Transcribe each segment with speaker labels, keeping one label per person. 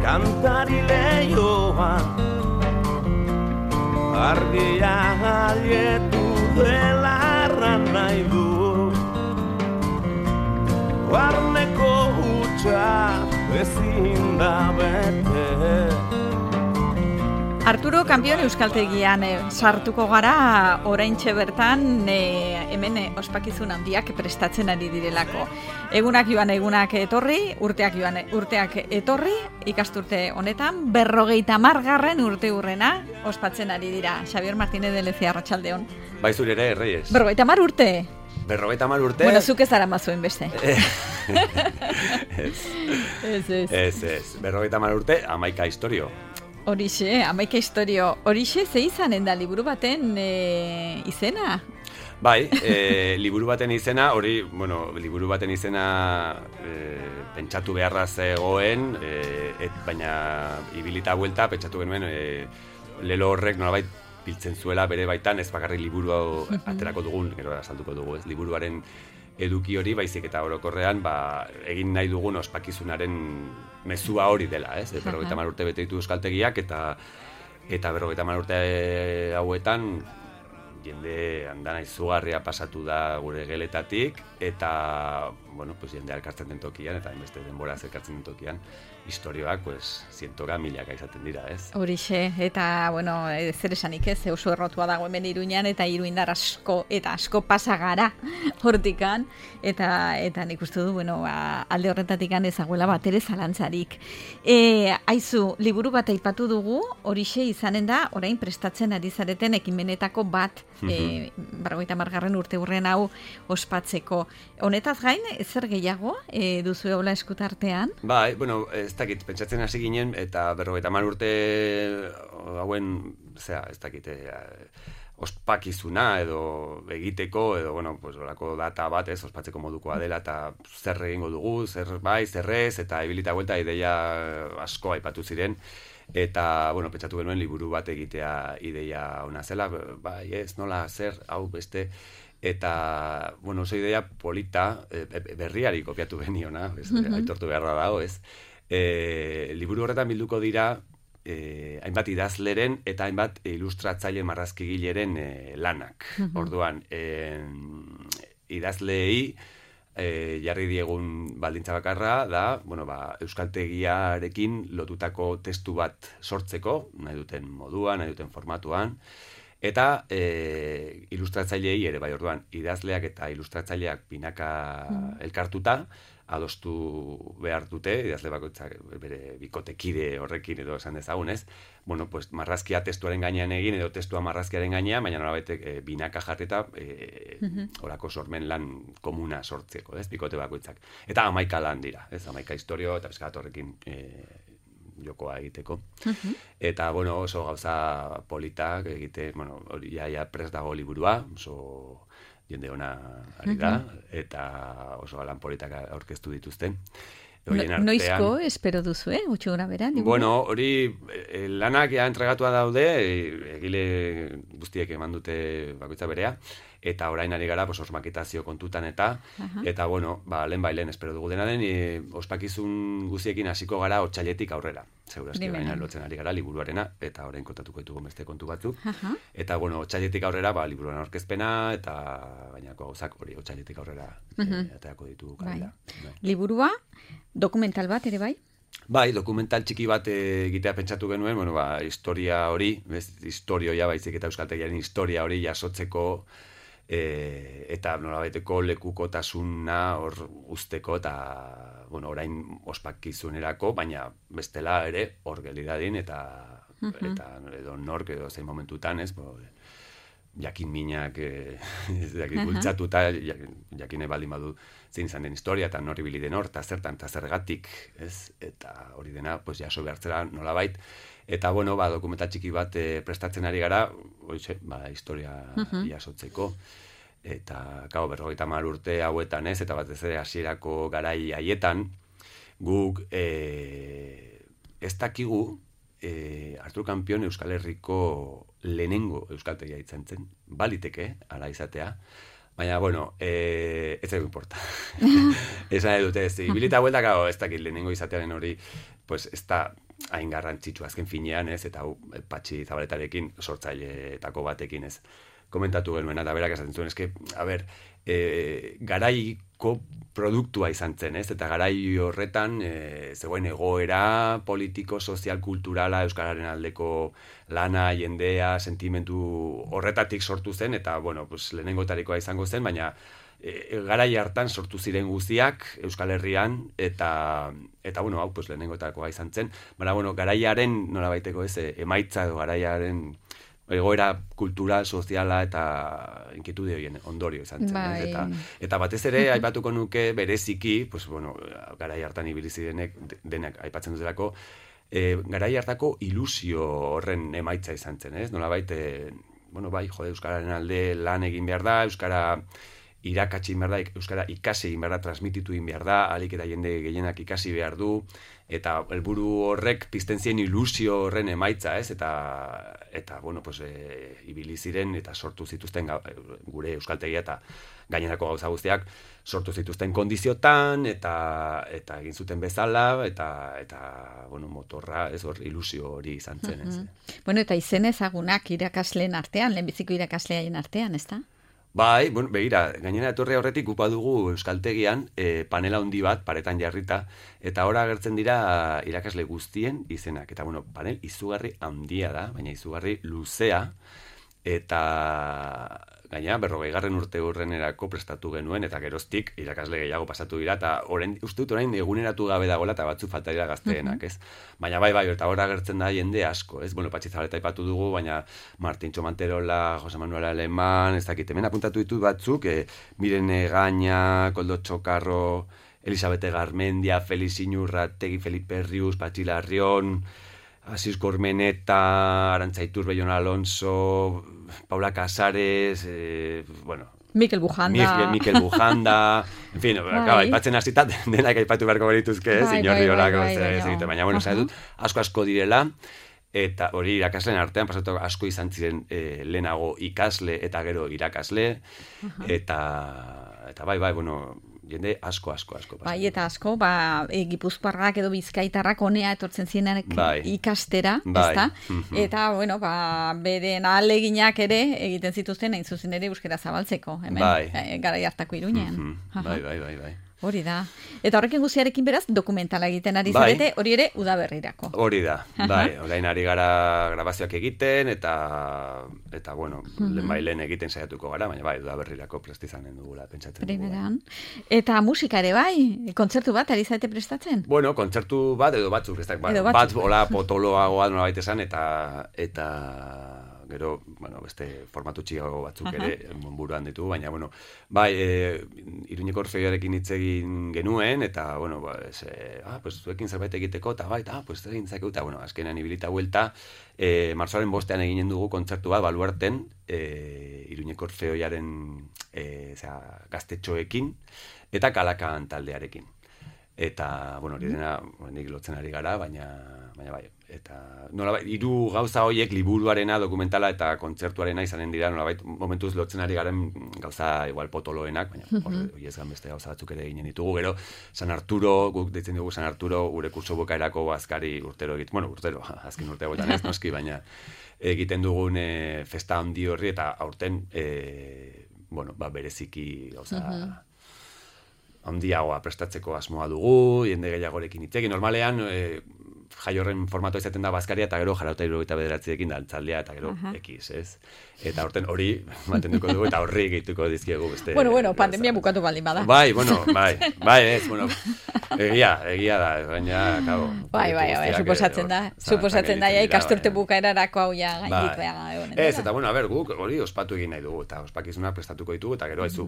Speaker 1: kantari lehioan, argia jaietu dela erran nahi du, barneko hutsa ezin da bete.
Speaker 2: Arturo Kampion euskaltegian sartuko gara oraintxe bertan hemen ospakizun handiak prestatzen ari direlako. Egunak joan egunak etorri, urteak etorri, ikasturte honetan 50. urte hurrena ospatzen ari dira. Xabier Martínez de Lezia, arratsaldeon.
Speaker 3: Bai zure ere, Reyes.
Speaker 2: 50 urte?
Speaker 3: 50 urte?
Speaker 2: Bueno, zuk ez ara mazuen beste.
Speaker 3: Ez. 50 urte, 11 historio.
Speaker 2: Horixe, 11 historio. Horixe, ze izanen da liburu baten izena?
Speaker 3: Bai, liburu baten izena, liburu baten izena pentsatu beharra zegoen, baina ibilita buelta, pentsatu genuen, lelo horrek nolabait biltzen zuela bere baitan, ez bakarrik liburu hau aterako dugun, gero azalduko dugu, ez liburuaren eduki hori, baizik eta orokorrean, egin nahi dugun ospakizunaren mezua hori dela, ez? 50 urte bete ditu euskaltegiak, eta 50 urte hauetan, jende andana izugarria pasatu da gure geletatik, eta, jende elkartzen den tokian, eta beste denbora elkartzen den tokian, historioak, zientoka milaka izaten dira, ez?
Speaker 2: Horixe, eta, zer esanik ez, oso errotua dago hemen Iruñan, eta iruindar asko pasa gara hortikan, eta nik uste du, alde horretatik ezaguela bat ere zalantzarik. Aizu, liburu bat aipatu dugu, horixe izanen da, orain prestatzen ari zareten ekimenetako bat, 50. urte hurren hau ospatzeko. Honetaz gain, zer gehiago duzu hola eskutartean?
Speaker 3: Bai, ez dakit, pentsatzen hasi ginen, eta 50 urte hauen, ez dakit, ospakizuna edo egiteko, edo, olako data bat ez, ospatzeko modukoa dela, eta zer egingo dugu, zer bai, zer ez, eta ibilita buelta ideia asko aipatu ziren, eta, pentsatu genuen liburu bat egitea ideia ona zela, bai ez, nola, zer, hau beste, eta, oso idea polita, berriari kopiatu geniona, aitortu beharra dago, ez, liburu horretan bilduko dira, hainbat idazleren eta hainbat ilustratzaile marrazkigileren lanak. Orduan, idazleei jarri diegun baldintza bakarra da, euskaltegiarekin lotutako testu bat sortzeko, nahi duten moduan, nahi duten formatuan, eta ilustratzailei ere, bai, orduan, idazleak eta ilustratzaileak binaka elkartuta, adostu behar dute, idazle bakoitzak bere bikotekide horrekin edo esan dezagun, ez? Marrazkia testuaren gainean egin edo testua marrazkiaren gainean, baina nolabait binaka jarrita horako sormen lan komuna sortzeko, ez? Bikote bakoitzak. Eta 11 lan dira, ez? 11 historio eta peskat horrekin jokoa egiteko. Eta, oso gauza politak egite, hori ja prest dago liburua, oso jende ona ari da, eta oso lan politak aurkeztu dituzten.
Speaker 2: Noizko espero duzu, gutxi gora bera?
Speaker 3: Hori lanak entregatua daude, egile guztiek eman dute bakoitza berea, eta orain ari gara osmaketazio kontutan eta lehen espero dugu dena den, ospakizun guztiekin hasiko gara otsailetik aurrera. Segurazki orain lotzen ari gara liburuarena, eta orain kontatuko ditugu beste kontu batzuk. Eta otsailetik aurrera liburuaren aurkezpena, eta bainako gauzak hori otsailetik aurrera aterako ditugu kalera.
Speaker 2: Liburua, dokumental bat ere bai?
Speaker 3: Bai, dokumental txiki bat egitea pentsatu genuen, historia hori, historioia baizik eta euskaltegiaren historia hori jasotzeko, eta nolabaiteko lekukotasuna hor usteko, eta orain ospakizunerako, baina bestela ere hor gelidadin, eta edo nork edo zein momentutan, ez, jakin minak bultzatuta, jakine baldin badu zein izan den historia, eta norri bili den hor, eta zertan, eta zergatik, ez, eta hori dena, jaso behartzera nolabait, eta, dokumental txiki bat prestatzen ari gara, historia jasotzeko, eta, 50 urte hauetan, ez, eta batez ere hasierako garai haietan, guk ez dakigu, Arturo Kampion Euskal Herriko lehenengo euskaltegia izan zen, baliteke, ala izatea, Baina, bueno, ez zaigu importa. Esan nahi dute, ibilita bueltak, ez dakit lehenengo izatearen hori, pues, ez da hain garrantzitsu azken finean, ez, eta Patxi Zabaletarekin, sortzaileetako batekin, ez, komentatu genuen, eta berak esaten zuen, eske, a ber, garaiko produktua izan zen, ez? Eta garai horretan zegoen egoera politiko, sozial, kulturala, euskararen aldeko lana, jendea, sentimentu horretatik sortu zen, eta, bueno, pues, lehenengotarikoa izango zen, baina garai hartan sortu ziren guztiak Euskal Herrian, eta bueno, hau, pues, lehenengotakoa izan zen, baina, bueno, garaiaren, nolabaiteko ez, emaitza edo garaiaren egoera kultural, soziala eta inkietude horien ondorio izan zen.
Speaker 2: Bai.
Speaker 3: Eta batez ere, aipatuko nuke bereziki, pues, bueno, garai hartan ibili zirenek, denak aipatzen dutelako, garai hartako ilusio horren emaitza izan zen, ez? Nolabait, bueno, bai, jode, euskararen alde lan egin behar da, euskara irakatsi behar da, euskara ikasi egin behar da, transmititu egin behar da, ahalik eta jende gehienak ikasi behar du, eta helburu horrek pizten zien ilusio horren emaitza, ez? Eta bueno, pues, ibili ziren eta sortu zituzten gure euskaltegia eta gainerako gauza guztiak sortu zituzten kondiziotan eta egin zuten bezala eta bueno, motorra, ez hor ilusio hori izan zen, ez?
Speaker 2: Bueno, eta izen ezagunak irakasleen artean, lehenbiziko irakasleaien artean, ezta?
Speaker 3: Bai, bueno, begira, gainera etorri horretik upa dugu euskaltegian panela handi bat paretan jarrita, eta ora agertzen dira irakasle guztien izenak. Eta, bueno, panel izugarri handia da, baina izugarri luzea, eta gainera 40. urte urrenerako prestatu genuen, eta geroztik irakasle gehiago pasatu dira, eta uste dut orain eguneratu gabe dagoela, eta batzu falta dira gazteenak, ez? Baina bai, eta ora agertzen da jende asko, ez? Bueno, Patxi Zabaleta aipatu dugu, baina Martintxo Manterola, Jose Manuel Aleman, ez dakit, hemen apuntatu ditut batzuk, Miren Egaña, Koldo Txokarro, Elisabete Garmendia, Felix Inurrategi, Felipe Rius, Patxi Larrion, Asis Cormeneta, Arantza Iturbe, Jon Alonso, Paula Casares, bueno...
Speaker 2: Mikel Bujanda.
Speaker 3: Mikel Bujanda, en fin, aipatzen hasita denak aipatu beharko berituzke, Iñorri Olako, baina, bueno, dut, asko direla, eta hori irakasleen artean, pasatu asko izan ziren lehenago ikasle eta gero irakasle, eta bai, bueno... jende asko.
Speaker 2: Bai, eta asko, Gipuzkoarrak edo Bizkaitarrak honea etortzen zirenak ikastera, ezta? Eta, bueno, beren ahaleginak ere egiten zituzten hain zuzen ere euskara zabaltzeko, hemen, garai hartako Iruñean.
Speaker 3: Bai.
Speaker 2: Hori da. Eta horrekin guztiarekin beraz, dokumentala egiten ari zarete, hori ere udaberrirako.
Speaker 3: Hori da, bai. Orain ari gara grabazioak egiten, eta bueno, lehen egiten saiatuko gara, baina bai, udaberrirako prestizanen dugula, pentsatzen
Speaker 2: Primeran. Eta musika ere bai, kontzertu bat ari zarete prestatzen?
Speaker 3: Bueno, kontzertu bat edo batzuk, bat hola potoloagoa nolabait esan, eta gero, bueno, beste formatu txigago batzuk ere buruan ditu, baina, bueno, bai, Iruñeko Orfeoarekin hitz egin genuen, eta, bueno, pues, zuekin zerbait egiteko, eta bai, pues, egin zakeu, eta, bueno, azkenean ibilita huelta, marzoaren 5 eginen dugu kontzertu bat, Baluarten, Iruñeko Orfeoaren gaztetxoekin, eta Kalakan taldearekin. Eta, bueno, hori dena, nik lotzen ari gara, baina bai, eta nolabait, 3 gauza horiek liburuarena, dokumentala eta kontzertuarena izanen dira, nolabait, momentuz lotzen ari garen gauza igual potoloenak, baina hori ez gan beste gauza batzuk ere ginen ditugu, gero San Arturo, guk deitzen dugu San Arturo, gure kurso bukaerako azkari urtero egiten, bueno, urtero, azken urte hauetan ez noski, baina egiten dugun festa handi horri, eta aurten, bueno, bereziki gauza handiagoa prestatzeko asmoa dugu, jende gehiagorekin hitzekin, normalean, jai horren formatoa izaten da bazkaria, eta gero jarauta 79ekin dantzaldia, eta gero ekiz, ez? Eta horten hori mantenduko dugu, eta horri gehituko dizkiegu beste...
Speaker 2: Bueno, pandemia bukatu baldin bada.
Speaker 3: Bai, ez, bueno, egia da, baina, kabo...
Speaker 2: Bai, suposatzen da, ikasturte bukaerarako hau ja gaindik beha.
Speaker 3: Ez, eta, bueno, guk hori ospatu egin nahi dugu, eta ospakizunak prestatuko ditugu, eta gero haizu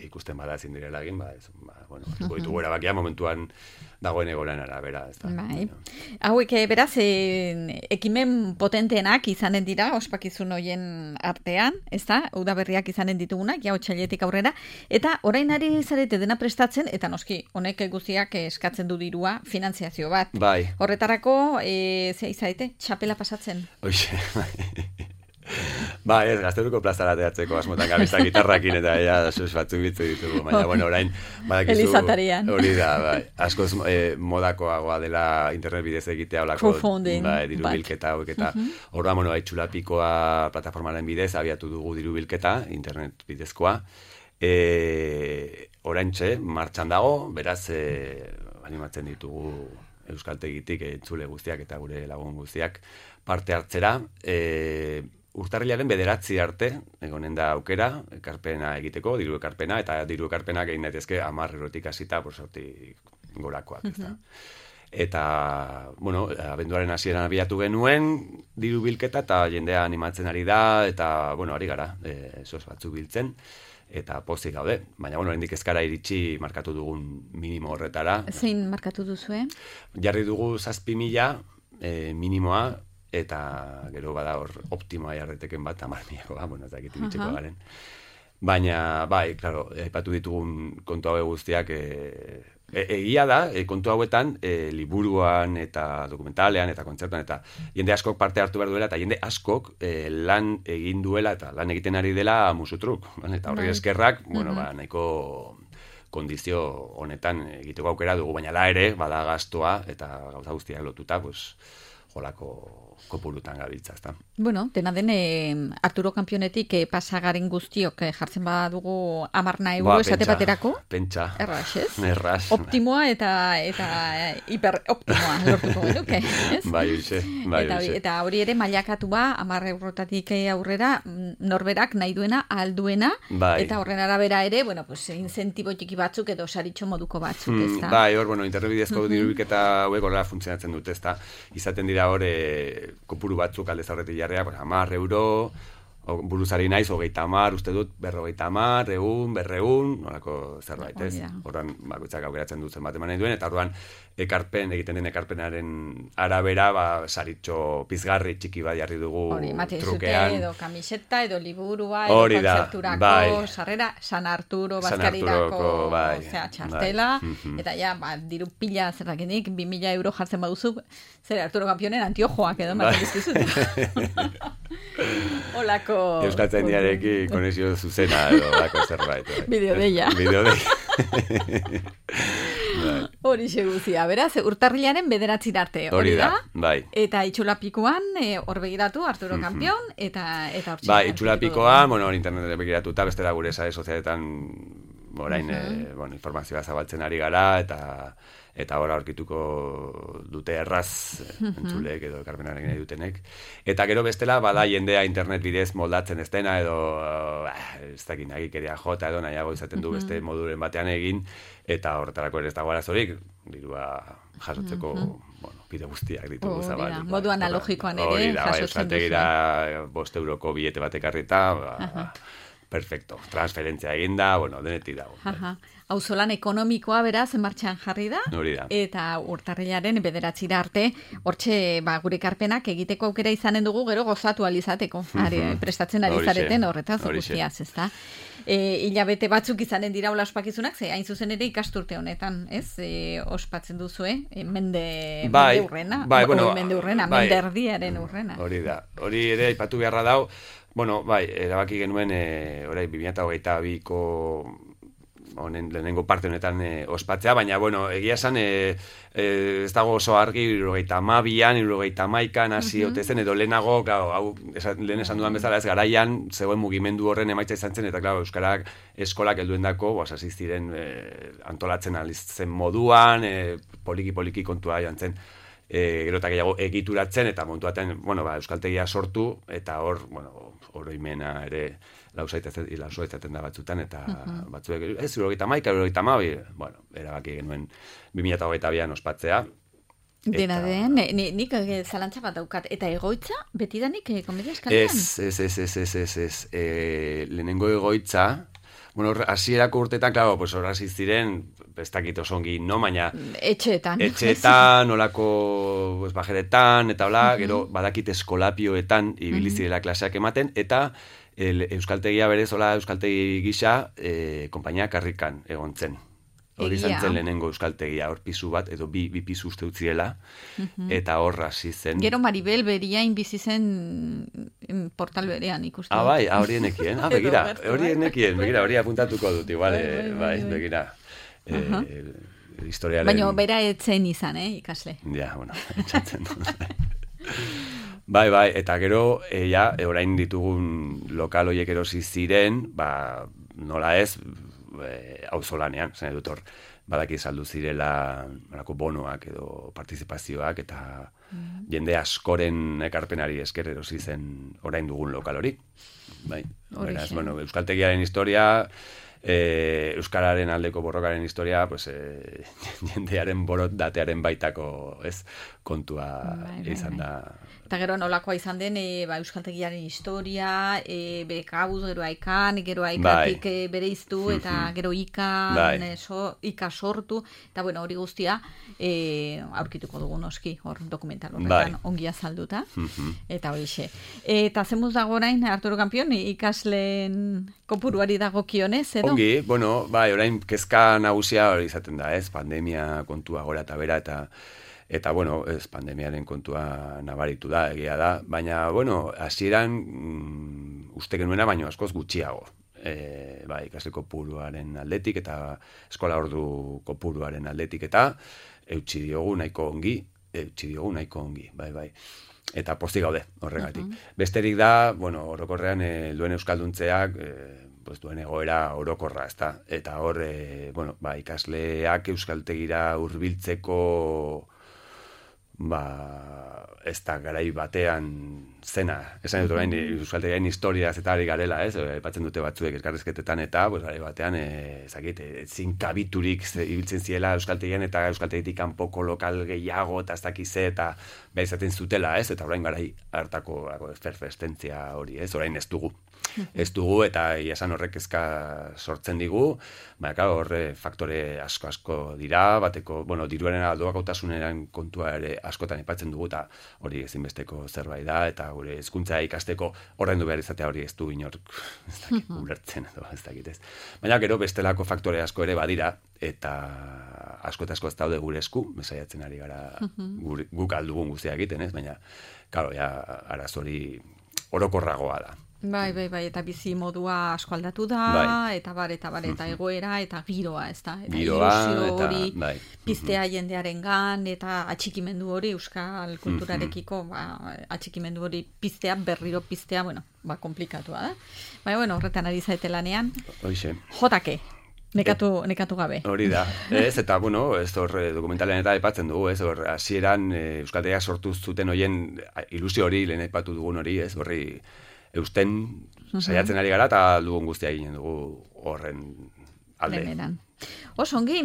Speaker 3: ikusten bada ezin direla egin, bueno, ditugu erabakia momentuan dagoen egoran arabera, ez da.
Speaker 2: Bai. Hauek, beraz, ekimen potenteenak izanen dira, ospakizun hoien artean, ez da, udaberriak izanen ditugunak, ja otsailetik aurrera, eta orain ari zarete dena prestatzen, eta noski, honek guztiak eskatzen du dirua, finantziazio bat.
Speaker 3: Bai.
Speaker 2: Horretarako, zea izarete, txapela pasatzen?
Speaker 3: Oixe, Ba, ez, Gazteluko plazara teatzeko asmotan gabizta gitarrakin eta ja, sus batzuk bitzu ditugu. Baina, bueno, orain, badakizu...
Speaker 2: Elizatarian.
Speaker 3: Hori da, bai. Askoz modakoagoa dela internet bidez egitea olako...
Speaker 2: Crowdfunding.
Speaker 3: Bai, diru bilketa hauek eta... Horra, bueno, Txulapikoa plataformaren bidez abiatu dugu diru bilketa, internet bidezkoa. Oraintxe, martxan dago, beraz, animatzen ditugu euskaltegitik entzule guztiak eta gure lagun guztiak parte hartzera. Urtarrilaren 9 arte, egonen da aukera, ekarpena egiteko, diru ekarpena, eta diru ekarpenak egin daitezke 10 eurotik hasita, sortik gorakoak, ez da. Eta, bueno, abenduaren hasieran abiatu genuen, diru bilketa, eta jendea animatzen ari da, eta, bueno, ari gara, sos batzuk biltzen, eta pozik gaude. Baina, bueno, hendik ezkara iritsi markatu dugun minimo horretara.
Speaker 2: Zein markatu duzu,
Speaker 3: Jarri dugu 7.000 minimoa, eta gero bada hor optimoa jarreteken bat, 10.000, bueno, ez dakit bitxeko garen. Baina, bai, klaro, aipatu ditugun kontu hauek guztiak, egia da, kontu hauetan, liburuan eta dokumentalean eta kontzertuan, eta jende askok parte hartu behar duela, eta jende askok lan egin duela, eta lan egiten ari dela musutruk. Eta horri eskerrak, bueno, nahiko kondizio honetan egiteko aukera dugu, baina da ere, bada gastoa, eta gauza guztiak lotuta, pues, jolako kopurutan gabiltza, ezta.
Speaker 2: Bueno, dena den Arturo Kanpionetik pasagaren guztiok jartzen badugu 10 euro esate baterako.
Speaker 3: Pentsa.
Speaker 2: Erraz, ez?
Speaker 3: Erraz.
Speaker 2: Optimoa eta hiperoptimoa lortuko genuke, ez?
Speaker 3: Bai, hoxe.
Speaker 2: Eta hori ere mailakatua 10 eurotatik aurrera norberak nahi duena, alduena, eta horren arabera ere, bueno, pues incentibo txiki batzuk edo saritxo moduko batzuk, ezta?
Speaker 3: Bai, hor, bueno, internet bidezko dirubiketa hauek horrela funtzionatzen dute, ezta? Izaten dira hor kopuru batzuk aldez aurretik jarria, 10 euro, buruzari naiz, 30, uste dut, 50, 100, 200, nolako zerbait, ez? Horran, bakoitzak aukeratzen dut zenbat eman nahi duen, eta orduan, egiten den ekarpenaren arabera, saritxo pizgarri txiki bat jarri dugu trukean.
Speaker 2: Edo kamiseta, edo liburua, edo kontzerturako, sarrera, San Arturo, Bazkarirako, txartela, eta ja, diru pila zerrakenik, 2.000 euro jartzen baduzu, zer Arturo Kanpionen antiojoak edo ematen dizkizut. Olako...
Speaker 3: Euskaltzaindiarekin konexio zuzena edo olako zerbait.
Speaker 2: Bideodeia. Hori xeguzia, beraz, urtarrilaren 9 arte, hori da?
Speaker 3: Bai.
Speaker 2: Eta Itxulapikoan, hor begiratu, Arturo Kanpion, eta hortxe.
Speaker 3: Bai, Itxulapikoan, bueno, hor internetet begiratuta, bestela gure sare sozialetan, orain, informazioa zabaltzen ari gara, eta hor aurkituko dute erraz entzuleek edo ekarpenaren nahi dutenek. Eta gero bestela, bada jendea internet bidez moldatzen ez dena, edo ez dakin nagikeria jota edo nahiago izaten du beste moduren batean egin, eta horretarako ere ez dago arazorik, dirua jasotzeko, bueno, bide guztiak ditugu zabaldu.
Speaker 2: Modu analogikoan ere jasotzen duzu.
Speaker 3: Bai, 5 euroko bilete bat ekarrita, perfecto, transferentzia eginda, bueno, denetik dago.
Speaker 2: Auzolan ekonomikoa beraz martxan jarri da, eta urtarrilaren 9 arte, hortxe gure ekarpenak egiteko aukera izanen dugu, gero gozatu alizateko, prestatzen ari zareten horretaz guztiaz, ezta? Hilabete batzuk izanen dira hola ospakizunak, ze hain zuzen ere ikasturte honetan, ez? Ospatzen duzue, mende urrena, mende erdiaren urrena.
Speaker 3: Hori da, hori ere aipatu beharra dau, bueno, erabaki genuen, orai 2022ko honen lehenengo parte honetan ospatzea, baina, bueno, egia esan, ez dago oso argi, 72an, 71an, hasi otezen, edo lehenago, hau, lehen esan dudan bezala, ez garaian, zegoen mugimendu horren emaitza izan zen, eta, klaro, euskarak eskolak helduendako, hasi ziren antolatzen alizen moduan, poliki kontua joan zen, gero eta gehiago egituratzen, eta montuaten, bueno, euskaltegia sortu, eta hor, bueno, oroimena ere, lausoitzaten da batzutan, eta batzuek, ez, 71, bueno, erabaki genuen 2022an ospatzea.
Speaker 2: Dena den, nik zalantza bat daukat, eta egoitza, betidanik komedia eskalean?
Speaker 3: Ez, lehenengo egoitza, bueno, hasierako urtetan, klaro, pues hor hasi ziren, ez dakit oso ongi, no, baina... Etxeetan, olako bajeretan, eta hola, gero badakit eskolapioetan ibili zirela klaseak ematen, eta euskaltegia berez, hola, euskaltegi gisa, konpainia karrikan egon zen. Hori izan zen lehenengo euskaltegia, hor pisu bat, edo bi pisu uste utziela, eta hor hasi zen.
Speaker 2: Gero Maribel Beriain bizi zen portal berean ikusten.
Speaker 3: Bai, hori enekien. Begira, hori apuntatuko dut, igual, bai, begira. Historiaren...
Speaker 2: Baina bera etzen izan, ikasle.
Speaker 3: Ja, bueno, etxatzen dut. Bai, eta gero, orain ditugun lokal horiek erosi ziren, nola ez, auzolanean, zen dut hor, badaki saldu zirela bonoak edo partizipazioak, eta jende askoren ekarpenari esker erosi zen orain dugun lokal hori. Bai, beraz, bueno, euskaltegiaren historia, euskararen aldeko borrokaren historia, pues, jendearen borondatearen baitako, ez, kontua izan da.
Speaker 2: Eta gero nolakoa izan den euskaltegiaren historia, bekabuz, gero aikan, gero aikatik bere iztu, eta gero ika sortu, eta bueno, hori guztia aurkituko dugu noski, hor dokumental horretan ongi azalduta, eta horixe. Eta zemuz dago orain, Arturo Kampion, ikasleen kopuruari dagokionez, edo?
Speaker 3: Ongi, bueno, orain kezka nagusia hori izaten da, ez, pandemia kontua gora eta bera, eta bueno, ez pandemiaren kontua nabaritu da, egia da, baina, bueno, hasieran uste genuena baino askoz gutxiago. Ikasle kopuruaren aldetik eta eskola ordu kopuruaren aldetik eta eutsi diogu nahiko ongi, bai. Eta pozik gaude horregatik. Besterik da, bueno, orokorrean duen euskalduntzeak, duen egoera orokorra, ezta? Eta hor, ikasleak euskaltegira hurbiltzeko ez da garai batean zena. Esan dut orain euskaltegiaren historiaz eta ari garela, ez? Aipatzen dute batzuek elkarrizketetan eta, garai batean, ezin kabiturik ibiltzen ziela euskaltegian eta euskaltegitik kanpoko lokal gehiago eta ez dakize eta behar izaten zutela, ez? Eta orain garai hartako efervescentzia hori, ez? Orain ez dugu. Ez dugu eta esan horrek ezka sortzen digu, horre faktore asko dira, bateko, bueno, diruaren doakotasunaren kontua ere askotan aipatzen dugu eta hori ezinbesteko zerbait da, eta gure hezkuntza ikasteko ordaindu behar izatea hori ez du inork ulertzen edo ez dakit ez. Baina gero bestelako faktore asko ere badira, eta asko eta asko ez daude gure esku, mesaiatzen ari gara guk aldugun guztia egiten, ez? Baina, karo, arazo hori orokorragoa da.
Speaker 2: Bai, eta bizi modua asko aldatu da, eta egoera, eta giroa, ez da? Ilusio hori piztea jendearengan, eta atxikimendu hori, euskal kulturarekiko, atxikimendu hori piztea, berriro piztea, komplikatua da. Baina, horretan ari zaite lanean.
Speaker 3: Hoxe.
Speaker 2: Jotake. Nekatu gabe.
Speaker 3: Hori da. Ez, eta, ez hor dokumentalean eta aipatzen dugu, ez hor hasieran euskaltegia sortu zuten hoien ilusio hori, lehen aipatu dugun hori, ez horri eusten saiatzen ari gara eta dugun guztia eginen dugu horren alde.
Speaker 2: Beneran. Osongi,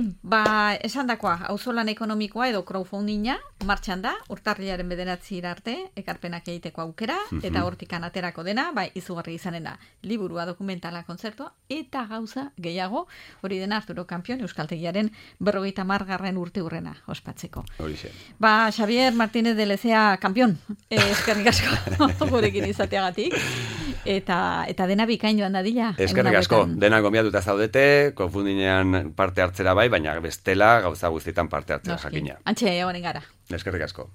Speaker 2: esandakoa, auzolan ekonomikoa edo crowdfundinga martxan da, urtarrilaren 9 arte, ekarpenak egiteko aukera, eta hortikan aterako dena, izugarri izanen da, liburua, dokumentala, kontzertua, eta gauza gehiago, hori dena Arturo Kampion, euskaltegiaren 50. urte hurrena ospatzeko.
Speaker 3: Horixe.
Speaker 2: Xavier Martínez de Lezea Kampion, eskerrik asko gurekin izateagatik, eta dena bikain joan dadila.
Speaker 3: Eskerrik asko, dena gonbiatuta zaudete, crowdfundinean parte hartzera baina bestela gauza guztietan parte hartzera jakina.
Speaker 2: Antxe, egonen gara.
Speaker 3: Eskerrik asko.